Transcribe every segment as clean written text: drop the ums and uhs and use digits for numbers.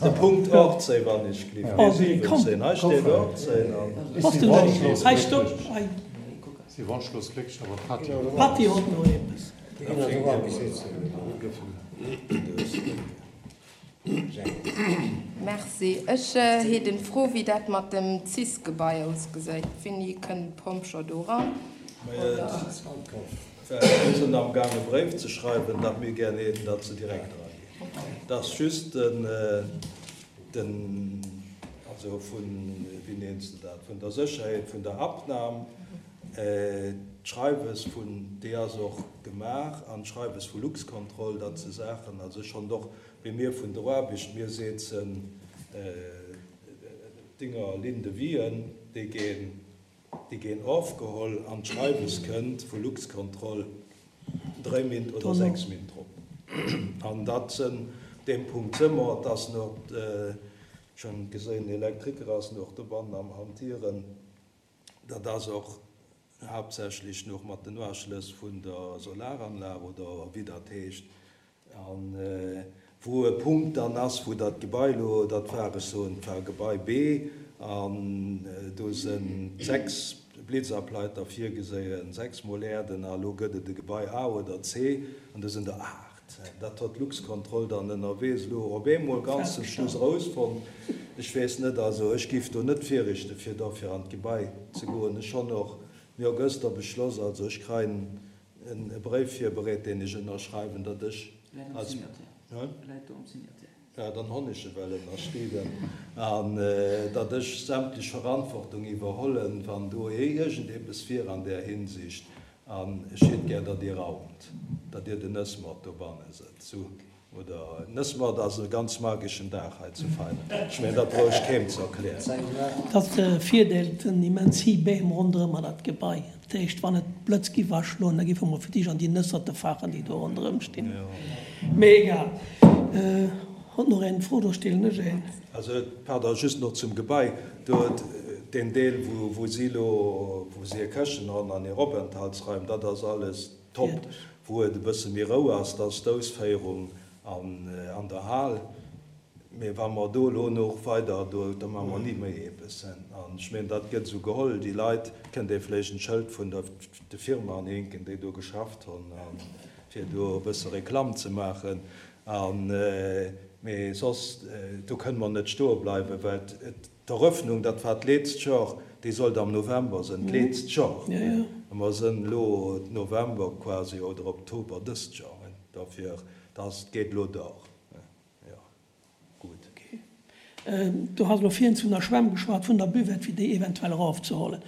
De Punkt 18, wann ech gleef, nee 17, hei steet 18 an. Hei stopp, hei. Si wonschlos glécklech, awer d'Patty. D'Patty hott no eppes. Merci. Ech heet en Fro wéi dat mat dem Cis-Gebai ausgesäit. Wéini kënnen d'Pompjer do ran? Oder? Mir sinn am Gaang e Bréif ze schreiwen, datt mir gär hätten, datt se direkt eraginn. Dat ass just den, den, also vun, wéi nenns de dat, vun der Sécherheet vun der Abnam, d'Schreiwes vun, déi ass och gemaach, an d'Schreiwes vu Luxcontrol, datt se Saachen, also ech schonn och, wéi mir vun der Aarbecht, mir setzen d'Dinger Linde-Wien, déi ginn, Déi ginn ofgeholl an d'Schreiwes kënnt vu Luxcontrol 3 Min. Oder 6 Min. Drop. An dat sënn deem Punkt së mer. Et ass nach, ech hunn gesinn, den Elektriker ass nach dobannen am Hantieren. Dat ass och haaptsächlech nach mat den Uaschlëss vun der Solaranlag oder wéi dat heescht. An wou e Punkt dann ass, wou dat Gebai elo, dat war, ech soen, et war Gebai B, an do se 6 Blitzableiter virgeséien, 6 mol Äerden, a elo gëtt et e Gebai A oder C, an do sinn der 8. Dat hott d'Luxcontrol dann ënnerwees elo op eemol ganz zum Schluss erousfonnt. Ech weess net, also ech géif do net virrichte fir dofir an d'Gebai ze goen. Ech honn och, mir hu gëster beschloss, also ech kreien e Bréif virbereet, deen ech ënnerschreiwen, datt ech als. Ja, dann honn ech e well ënnerschriwwen. An datt ech sämtlech Verantwortung iwwerhollen, wann do iergendepes wier an där Hinsicht. An ech hitt gär, datt Dir raumt, datt Dir den Nëssmort dobanne sëtzt. Sou. Oder Nëssmord ass e ganz mageschen Dag hei zu Veinen. Ech mengen, dat brauch ech keem ze erklären. Dat Virdeel, et sinn immens héi Beem ronderëm an dat Gebai. Dat heescht, wann et Blëtz giff aschloen, da giffe mer fir d'éischt an déi Nësserte fachen, déi do ronderëm stinn. Mee egal. Hott nach een Fro, da stellen ech een. Also, pardon, just nach zum Gebai. Do, deen Deel, wou si elo, wou si hir Këchen hunn an hir Openthaltsraim, dat ass alles Top, wou et e bësse méi rou ass, dat ass d'Ausféierung an der Hal. Mee wa mer do elo nach weider, do, da maache mer ni méi eppes. An ech mengen, dat gëtt esou geholl. Déi Leit, kënnt ee vläicht en Schëld vun der de Firma anhinken, déi do geschafft hunn, fir do e bësse Reklamm ze maachen. An, mee soss, do kënne mer net stoe bleiwen, well et, D'Eröffnung, dat war d'leetzt Jor, déi sollt am November sënn, d'leetzt Jor. A mer sënn elo November quasi oder Oktober dëst Jor. Dofir, dat geet elo dor. Jo, gutt. Okay. Du has elo virhin vun der Schwämm geschwat, vun der Buvette, fir déi eventuell erofzehollen.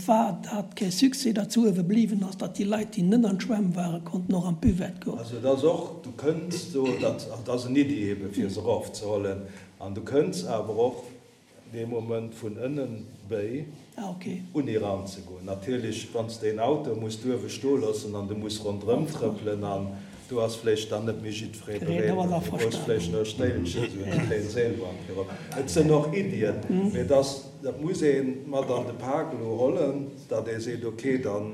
War dat kee Succès, datt se uewe bliwwen ass, datt déi Leit, déi net an d'Schwämm waren, konnten och an d'Buvette goen? Also et ass och, du kënns do, dat ass en Iddi ebe fir se erofzehollen, An du kënns awer och dee Moment vun ënnen béi un eran ze goen. Natierlech, wann s de een Auto muss duerwe stoe loossen an de muss ronderëm trëppelen an do ass vläicht dann net méi jiddweree bereet an du brauchs vläicht nach e Stéilchen, esou eng kléin Seelbank virop. Et sënn och Iddien, mee et ass, dat muss ee mat an de Pak elo hollen, datt ee seet, okay, dann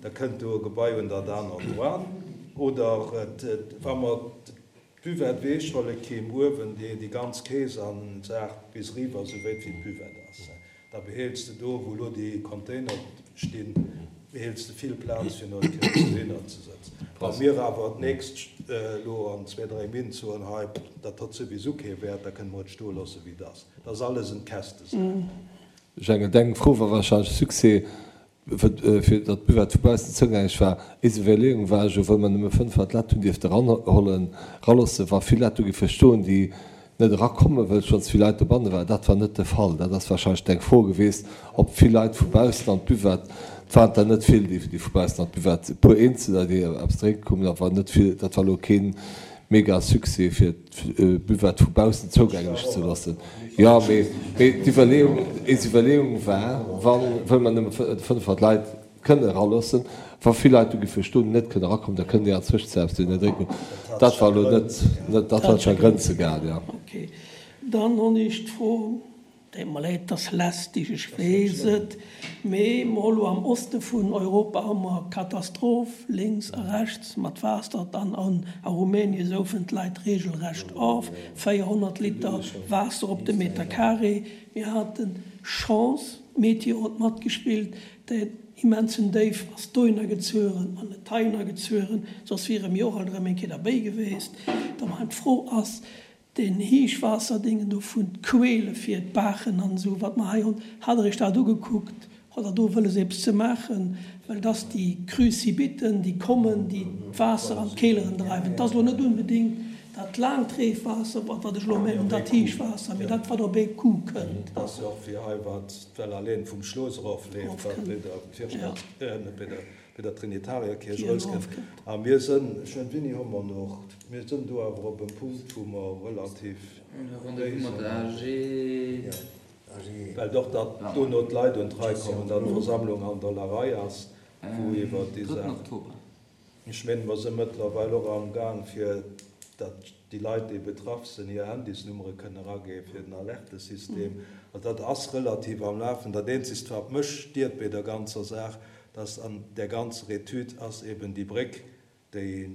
da kënnt do e Gebai un dat anert dran oder et, wa mer D'Buvette weechholle keem uewen déi déi ganz Kees an Saach bis riwwer sou wéit wéi d'Buvette ass. Da behéils de do wou lo déi Container stinn behéils de vill Plaz fir no d'Kees dohinner ze sëtzen. Wa mir awer d'nächst lo an zwee dréi Min soen hei dat hott souwisou kee Wäert da kënne mer et stoe loosse wéi et ass. Dat ass alles en Kästesaach. Jengel, deng Fro war wahrscheinlech Succès. Fir datt d'Buvette vu baussen zougänglech war. Eis Iwwerleeung war jo, well mer nëmme 500 Lett hunn dierfte eranhollen, eraloossen, wa vill Lett do géife stoen, déi net erakommen, wëll schonns vill Leit dobanne waren. Dat war net de Fall. Dat ass warscheinlech deng Fro geweest, ob vill Leit vu baussen an d'Buvette, et waren der net vill, déi vu baussen an d'Buvette, e puer Eenzeler, déi eppes drénke koumen, awer net vill. Dat war elo keen mega Succès fir d'Buvette vu baussen zougänglech ze loossen. Jo, mee d'Iwwerleeung, eis Iwwerleeung war, wann, wëll mer nëmme 500 Leit kënne eraloossen, wa vill Leit do géife stoen, net kënne erakommen, da kënnen déi an Zwëschenzäit eppes dohinner drénken. Dat war elo net, dat war scho Grenze gaang, jo. Okay. Dann hunn ech d'Fro. Deet mer leed, 't ass lästig, ech weess et, mee mer hu lo am Oste vun Europa hu mer Katastroph lénks a rechts mat Waasser, dann an a Rumänien soufen d'Leit regelrecht of, 400 Liter Waasser op de Meter carré. Mir haten Chance, d'Meteo huet matgespillt, den immensen Déif ass dohinner gezueren an net heihinner gezueren, soss wiere mir och alt erëm eng Kéier derbéi geweest. Da d'Fro ass, Deen Heechwaasserdingen do vun d'Quele fir d'Baachen an esou, wat mer hei hunn, hat Der Iech dat ugekuckt? Hutt Der do wëlles eppes ze maachen? Well et ass déi Crue-subiten, déi kommen, déi d'Waasser an d'Keeleren dreiwen. Et ass elo net unbedéngt dat laangt Reefwaasser, wat ech elo mengen, dat Heechwaasser, mee dat, wat op ee Coup kënnt. Et ass jo och wéi hei, wat d'Well alleen vum Schloos erofleeft, wat bei der Virstad, net bei der Bei der Trinitarierkierch erauskënnt. A mir sënn, ech mengen, wéini hu mer nach, mir sënn do awer op em Punkt, wou mer relativ béi sënn. Well och datt dono d'Leit un d'Rei kommen, datt d'Versammlung an der la Rei ass, wou iwwert déi Saach. Ech mengen, mer së mëttlerweil och amgaang, fir datt déi Leit, déi betraff sinn, hir Handysnummere kënne eraginn fir den Alertesystem. Also dat ass relativ am Lafen. Dat Eenzegst, wat mech stiert bei der ganzer Saach, dass an där ganzer Etüd ass eben déi Bréck, déi,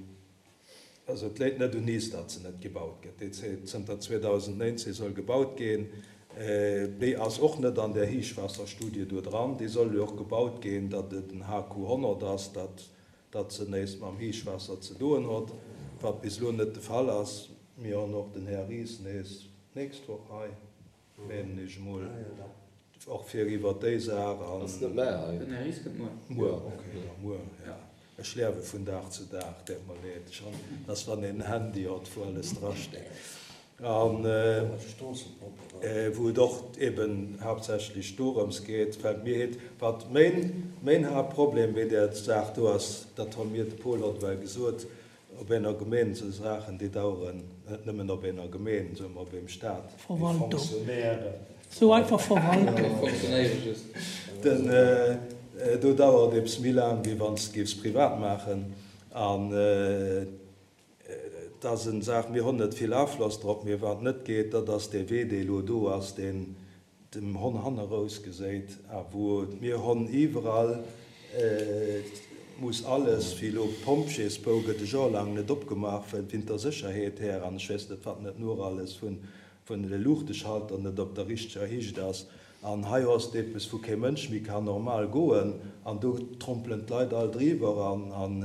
also et léit net un is, datt se net gebaut gëtt, déi zënter 2019 soll gebaut ginn, déi ass och net an där Héichwaasserstudie do dran. Déi soll jo och gebaut ginn, datt et en HQ 100 ass, datt datt se näischt mam Héichwaasser ze doen hott, wat bis elo net de Fall ass. Mir honn och den Här Ries nees d'nächst Woch hei, menen ech emol, och fir iwwert déi Saach an. Ass net mä hei. Den Här Ries kënnt muer. Muer, ok, da muer, ja. Ech liewe vun Dag zu Dag, deet mer leed. Ech han, dass wann een en Handy hott, wou alles drasteet. An wou et och eben haaptsächlech dorëms geet, well mir heet, wat méin, méin Haaptproblem bei där Saach do ass, dat hu mir, de Paul hott ewell gesot, op ener Gemeen esou Saachen, déi daueren net nëmmen op ener Gemeen, soe mer op eem Staat, déi fonctionnéieren. Sou einfach Verwaltung. Den, do dauert eppes méi laang, wéi wann s de géifs privat maachen. An Et ass en Saach, mir honn net vill Afloss drop, mee wat net geet, dat ass dee Wee, dee elo do ass, deen dem Honn hannerous geséit a wou mir honn iwwerall muss alles, wéi elo d'Pompjeesbou gëtt e Joer laang net opgemaach, well wint der Sécherheet här an ech weess net wat net nuer alles vun vun de Luuchteschalter net op der richteger Hicht ass. An hei ass et eppes, wou kee Mënsch méi kann normal goen, an do trompelen d'Leit all driwwer. An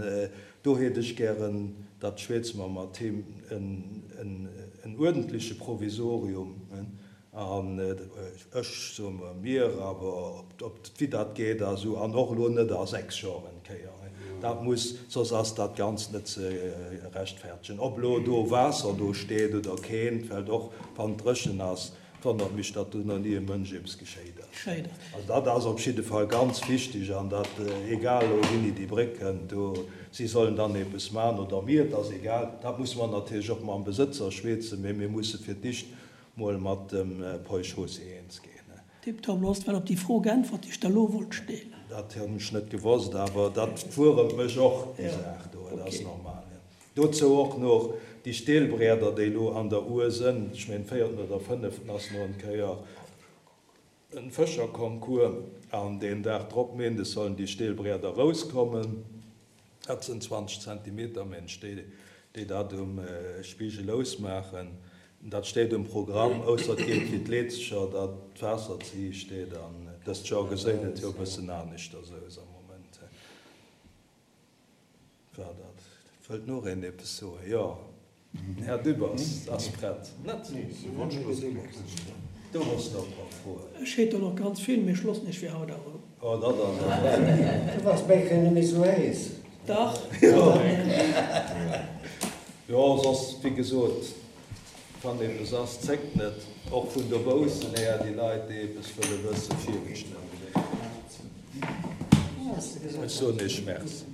do hätt ech gären, datt schwätze mer mat him, en uerdentleche Provisorium. An ech soe mer, mir, awer ob wéi dat geet a sou, an och elo net a 6 Joer eng Kéier. Dat muss, soss ass dat Ganzt net ze rechtfertegen. Ob elo do Waasser do steet oder keent, well och wann et dréchen ass, wonnert mech, datt do nach ni e Mënsch eppes geschéit ass. Also dat ass op jidde Fall ganz wichteg an dat, egal elo wéini déi Bréck kënnt, do, si sollen dann eppes maachen oder mir, et ass egal. Dat musse mer natierlech och mam Besëtzer schweetzen, mee mir musse fir d'éischt mol mat dem Paul Chaussy eens ginn. Tiptop, lo has de well op déi Fro geäntwert, déi ech der lo wollt stellen. Dat hunn ech net gewosst, awer dat wuermt mech och, déi Saach do, dat ass normal. Dozou och noch déi Steelbrieder, déi elo an der Our sënn, ech mengen véierten oder fënneften ass no en Kéier en Fëscherconcours an deen Dag drop, Méindes, sollen déi Steelbrieder erouskommen. Dat sënn 20 Zentimeter, mensch, déi déi dat um Spigel ousmaachen. Dat steet um Programm, ausser et geet wéi d'Leezeger, datt d'Waasser ze héich steet an dëst Joer geséit et jo e bëssen aneschters aus am Moment. War dat. Wëllt nach een eppes soen? Jo, den Här Dübbers ass prett. Net? Du hues nach e puer Froen. Ech hétt der nach ganz vill, mee ech loossen iech fir haut awer. Oh, dat ass awer. Du bass bäi keng méi sou héis. Dach. Jo, soss, wéi gesot, wann eppes ass, zéckt net, och vun dobaussen här, déi Leit, déi eppes wëlle wëssen, virgestallt. Ech soen Iech Merci.